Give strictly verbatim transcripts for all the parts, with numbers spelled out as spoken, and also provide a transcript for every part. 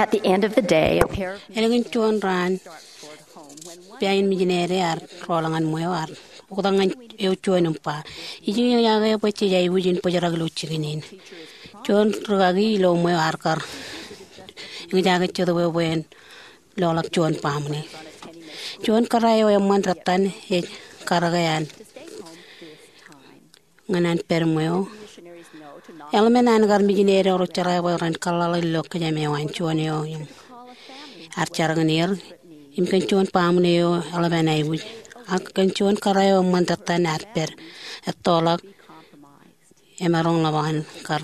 At the end of the day, a pair of Ālikin juon raan, pāin mijinede ear rọọl ñan ṃweo, ear oktak ñan eo juon im ba, ij eñjake bwe jej aikuj in bōjrak ilo jikin in. Juon rūkaki ilo ṃweo ear kar eñjake Jetōb eo bwe en loḷọk juon baaṃle. Juon kōrā eo eṃṃan rōttan ej karōke an ñan an pād ṃweo. Eḷmen an kar mijinede ro jeḷā bwe ren kōḷḷāḷọk ilo kōjām eo an juon eo im ear jar kōn er im kōn juon baaṃle eo eḷap an aikuj. Ak kōn juon kōrā eo eṃṃan rōttan ear pād ettoḷọk emaroñ ḷap an kar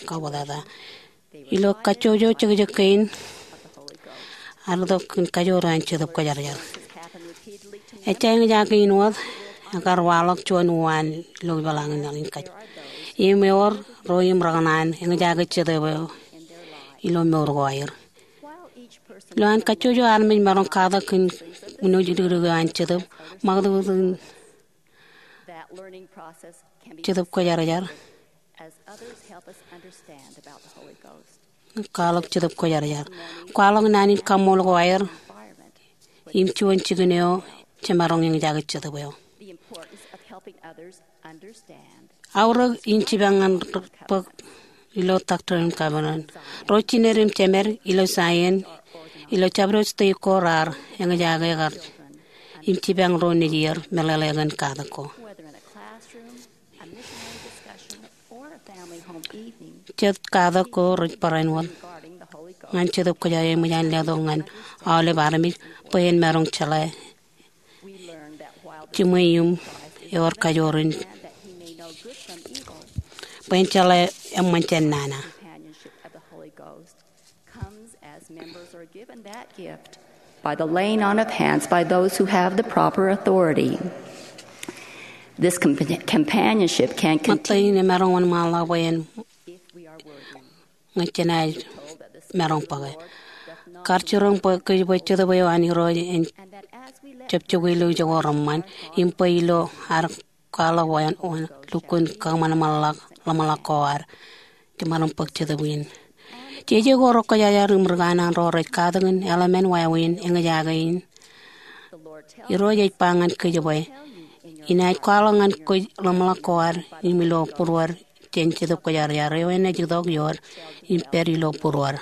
kabwatata. Ilo kajjojo jekjek kein, ear itok kōn kajoor eo an Jetōb Kwōjarjar. Ejja eñjake in wōt, ekar waḷọk juon uwaan ilo ipeḷaakin laḷ in kōj. Im ewōr ro im rekōṇaan eñjake Jetōb eo ilo mour ko aer. Ilo an kajjojo armej maroñ katak kōn uno jidikdik eo an Jetōb, ṃakūtkūt in Jetōb Kwōjarjar. Kwaḷọk Jetōb Kwōjarjar. Kwaḷọk naan in kaṃṃool ko aer im juon jikin eo jemaroñ eñjake Jetōb eo. Aorōk in jipañ ñan bōk ilo Doctrine and Covenants. Ro jined im jemed ilo Zion, ilo jabdewōt state ko raar eñjake kar im jipañ ro nejier meḷeḷe kōn katak ko. Jet katak ko rej barāinwōt ñan Jetōb Kwōjarjar eṃōj an letok ñan aolep armej bwe en maroñ jeḷā jiṃwe im ewōr kajoor in bwe en jeḷā eṃṃan jān nana. Comes as members are given that gift by the laying on of hands by those who have the proper authority. This compa- companionship can continue. Ṃōttan in emaroñ wōnṃaanḷọk bwe en ñe jenaaj maroñ bōke. Kar jiroñ bwe kōj bwe Jetōb eo an Irooj en jab jokwe ilo ijo ko reṃṃan, im bwe ilo ad kwaḷọk wāween lukkuun kōṃanṃanḷọk ḷōmṇak ko ad jemaroñ bōk Jetōb in. Jeje ko rej kwōjarjar im ri kanaan ro rej katakin eḷmen wāween eñjake in. Irooj ej ba ñan kōj bwe, inaaj kwaḷọk ñan kōj ḷōmṇak ko ad im ilo būruod jān Jetōb Kwōjarjar eo enaaj itok iood im pād ilo būruod.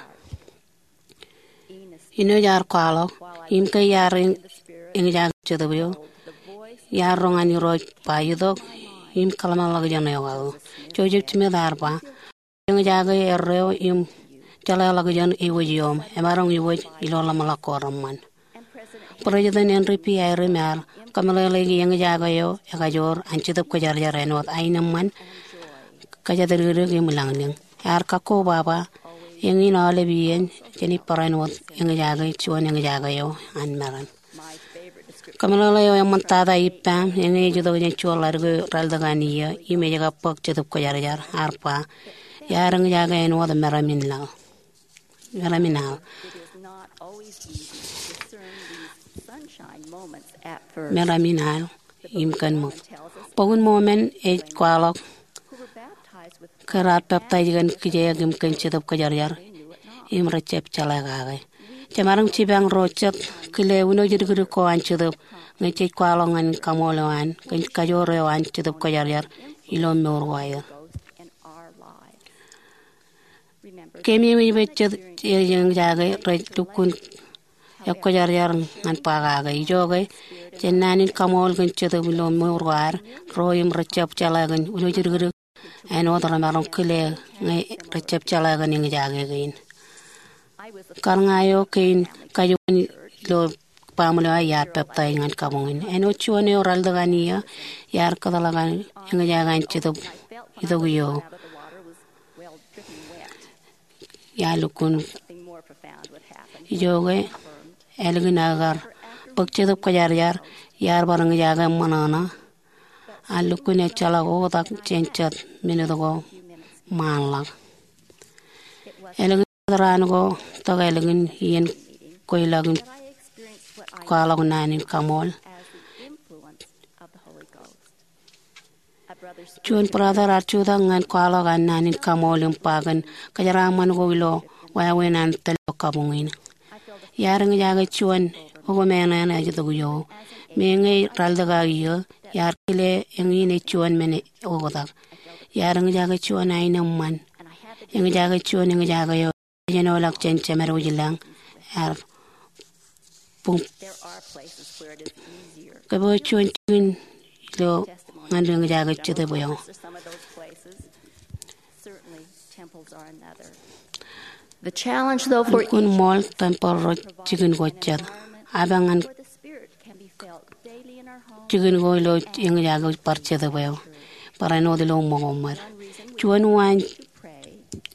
Inoj ear kwaḷọk, im ke iar eñjake Jetōb eo, iar roñ an Irooj ba itok im kōḷmānḷọkjeṇ eokake. Joseph Smith ear ba, eñjake erreo im jeḷāḷọkjeṇ ewōj ioom, emaroñ iwōj ilo ḷōmṇak ko reṃṃan. President Henry B. Eyring ear kōmeḷeḷeiki eñjake eo ekajoor an Jetōb Kwōjarjar āinwōt aenōṃṃan, kōjatdikdik im ilañlōñ. Ear kakkobaba, eñin aolep iien jenaaj barāinwōt eñjake juon eñjake eo an meram. Kōmeḷeḷe eo eṃṃantata ippaṃ, eñin ej itok jān juon ḷadik eo ralitōk an iiō, im ej kab bōk Jetōb Kwōjarjar, ear ba, iar eñjake āinwōt meram in laḷ. Meram in al. Meram in al im kōn ṃōk. Bok in Mormon ej kwaḷọk ke raar peptaij kōn kijeek im kōn Jetōb Kwōjarjar im rejjab jeḷā kake. Jemaroñ jipañ ro jet kile uno jidikdik ko an Jetōb ñe jej kwaḷọk ñan kaṃool eo an kōn kajoor eo an Jetōb Kwōjarjar ilo mour ko aer. Keememej bwe jet eo ej eñjake rej lukkuun ekwōjarjar ñan ba kake. Ijoke, jān naan in kaṃool kōn Jetōb ilo mour ko ad, ro im rejjab jeḷā kōn uno jidikdik āinwōt remaroñ kile ñe rejjab jeḷā kōn eñjake kein. Kar ña eo kein kajuon ilo baaṃle eo iar peptaij ñan kabuñ in. Āinwōt juon eo ralitōk an iiō, iar kōtḷọk an eñjake an Jetōb itok iiō. Iar lukkuun ijoke, ālikin aō kar bōk Jetōb Kwōjarjar, iar bar eñjake ṃōṇōṇō. Ak lukkuun ejjeḷọk oktak jān jet minit ko ṃaanḷọk. Ālikin raan ko tok ālikin iien kweilọk in kwaḷọk naan in kaṃool. Juon brother ear jutak ñan kwaḷọk an naan in kaṃool im ba kōn kōjeraaṃṃan ko ilo wāween an tōl eo kabuñ in. Iar eñjake juon okōmeañ eo ej itok ijo. Meñe ej ralitōk aō iiō, iar kile eñin ej juon men oktak. Iar eñjake juon aenōṃṃan. Eñjake juon eñjake eo ejenoḷọk jān Jemedwōj ilañ, ear buñ. Kōpooj juon jikin ilo ñan eñjake jetōb eo. Lukkuun ṃool tempel ro jikin ko jet. Apañ ñan jikin ko ilo eñjake bar jetōb eo. Barāinwōt ilo ṃōko ṃōd. Juon waan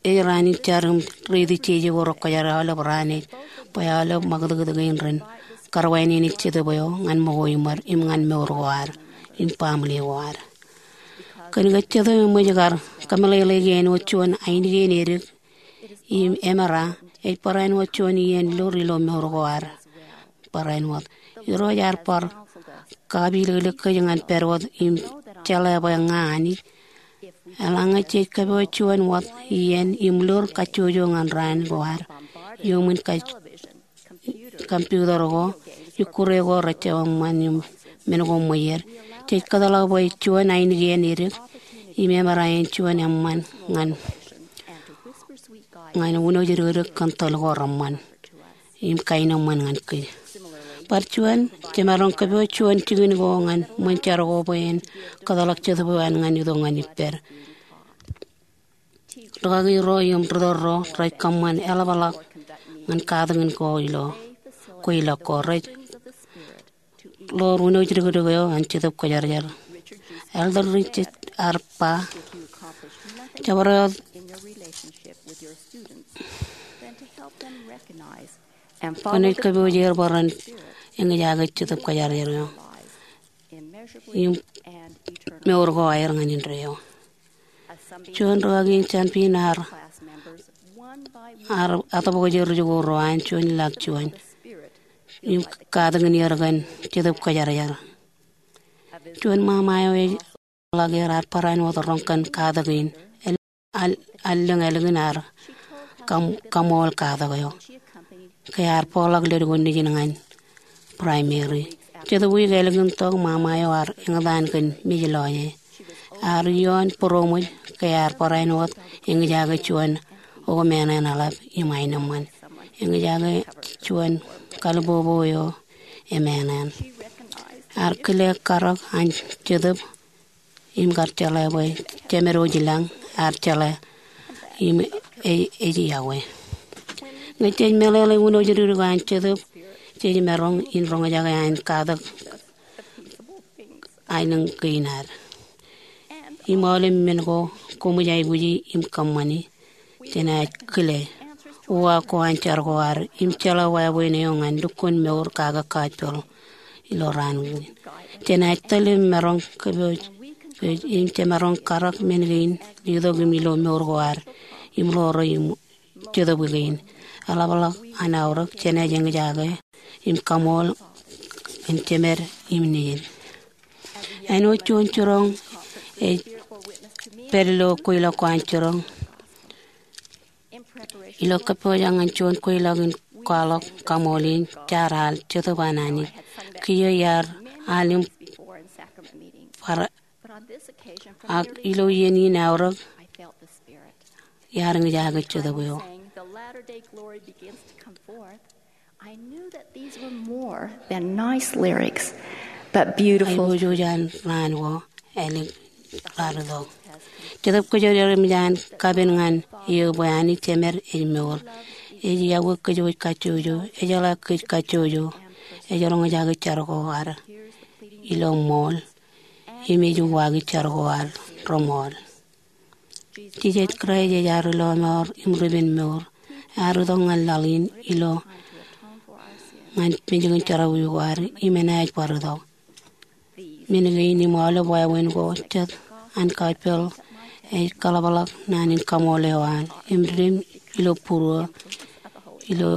ej raan in jar im reitok jeje ko rekwōjarjar aolep raan eo bwe aolep ṃakūtkūt kein ren karwaineneik jetōb eo ñan ṃōko iṃōd im ñan mour ko ad im baaṃle ko ad. Kōn ke jetōb eṃōj kar kōmeḷeḷeiki āinwōt juon ainikien edik im emera, ej barāinwōt juon iien lur ilo mour ko ad. Barāinwōt Irooj ear bar kapilōklōk kōj ñan pād wōt im jeḷā bwe ña Anij. Eḷaññe jej kōpooj juon wōt iien im lur kajjojo ñan raan ko ad iuṃwin kōj computer ko, ikkure ko, rejjo eṃṃan im men ko ṃweied, jej kōtḷọk bwe juon ainikien edik im emera en juon eṃṃan ñan, ñan wūnooj dikdik kōn tōl ko reṃṃan im kaenōṃṃan ñan kōj. Bar juon, jemaroñ kōpooj juon jikin ko ñan ṃōn jar ko bwe en kōtḷọk jetōb eo an ñan itok ñan ippād. Rūkaki ro im ritōl ro rej kōṃṃan eḷapḷọk ñan katakin ko ilo kweilọk ko rej ḷoor wūnooj dikdik eo an Jetōb Kwōjarjar. Elder Richards ear ba, jabdewōt kwōnaaj kōpooj er bwe ren eñjake Jetōb Kwōjarjar eo im mour ko aer ñan indeeo. Juon rūkaki in jān Pin ear, ear etōpwōj er ri-jikuuḷ ro an juon ilọk juon im katakin er kōn Jetōb Kwōjarjar. Juon ṃaṃa eo ej ḷak er ear barāinwōt roñ kōn katak in. Al, allōñ ālikin ear kaṃ, kaṃool katak eo ke ear bōkḷọk ledik ko nejin ñan primary. Jetōb wiik ālikin tok ṃaṃa eo ear eñtaan kōn mej lọje. Ear ioon būroṃōj ke ear barāinwōt eñjake juon okōmeañ eḷap im aenōṃṃan. Eñjake juon kalbubu eo emeañ. Ear kile karōk an Jetōb im kar jeḷā bwe Jemedwōj ilañ ear jeḷā im ej, ej yokwe. Ñe jej meḷeḷe wūnooj dikdik an Jetōb, jej maroñ in roñjake an katak aelōñ kein ad im aolep men ko koṃij aikuji im kōṃṃani. Jenaaj kile uwaak ko an jar ko ad im jeḷā wāween eo ñan lukkuun mour kake gospel ilo raan kein. Jenaaj tōl im maroñ kōpooj, kōpooj im jemaroñ karōk men kein letok im ilo mour ko ad im ḷoore im Jetōb kein. Eḷapḷọk an aorōk jenaaj eñjake im kaṃool kōn jemed im nejid. Āinwōt juon jiroñ ej pād ilo kweilọk ko an jiroñ. Ilo kōpooj ñan juon kweilọk in kwaḷọk kaṃool in, jaar al Jetōb an Anij. Kiiō iar al im bar, ak ilo iien in aorōk iar eñjake Jetōb eo. Aiboojoj an raan ko ālik raar itok. Jetōb Kwōjarjar eṃōj an kapen ñan eō bwe Anij Jemed ej mour. Ej yokwe kōjwōj kajjojo, ejeḷā kōj kajjojo, ej roñjake jar ko ad ilo ṃool im ej uwaaki jar ko ad reṃool. Jisōs Kraist ej ad Ilo Mour im Ribenmour. Ear itok ñan laḷ in ilo ñan mejān jerọwiwi ko ad im enaaj bar itok. Men kein im aolep wāween ko jet an gospel ej kaḷapḷọk naan in kaṃool eo an im dim ilo būruō ilo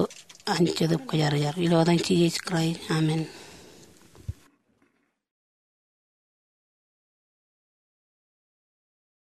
an Jetōb Kwōjarjar. Ilo etan Jisōs Kraist, amen.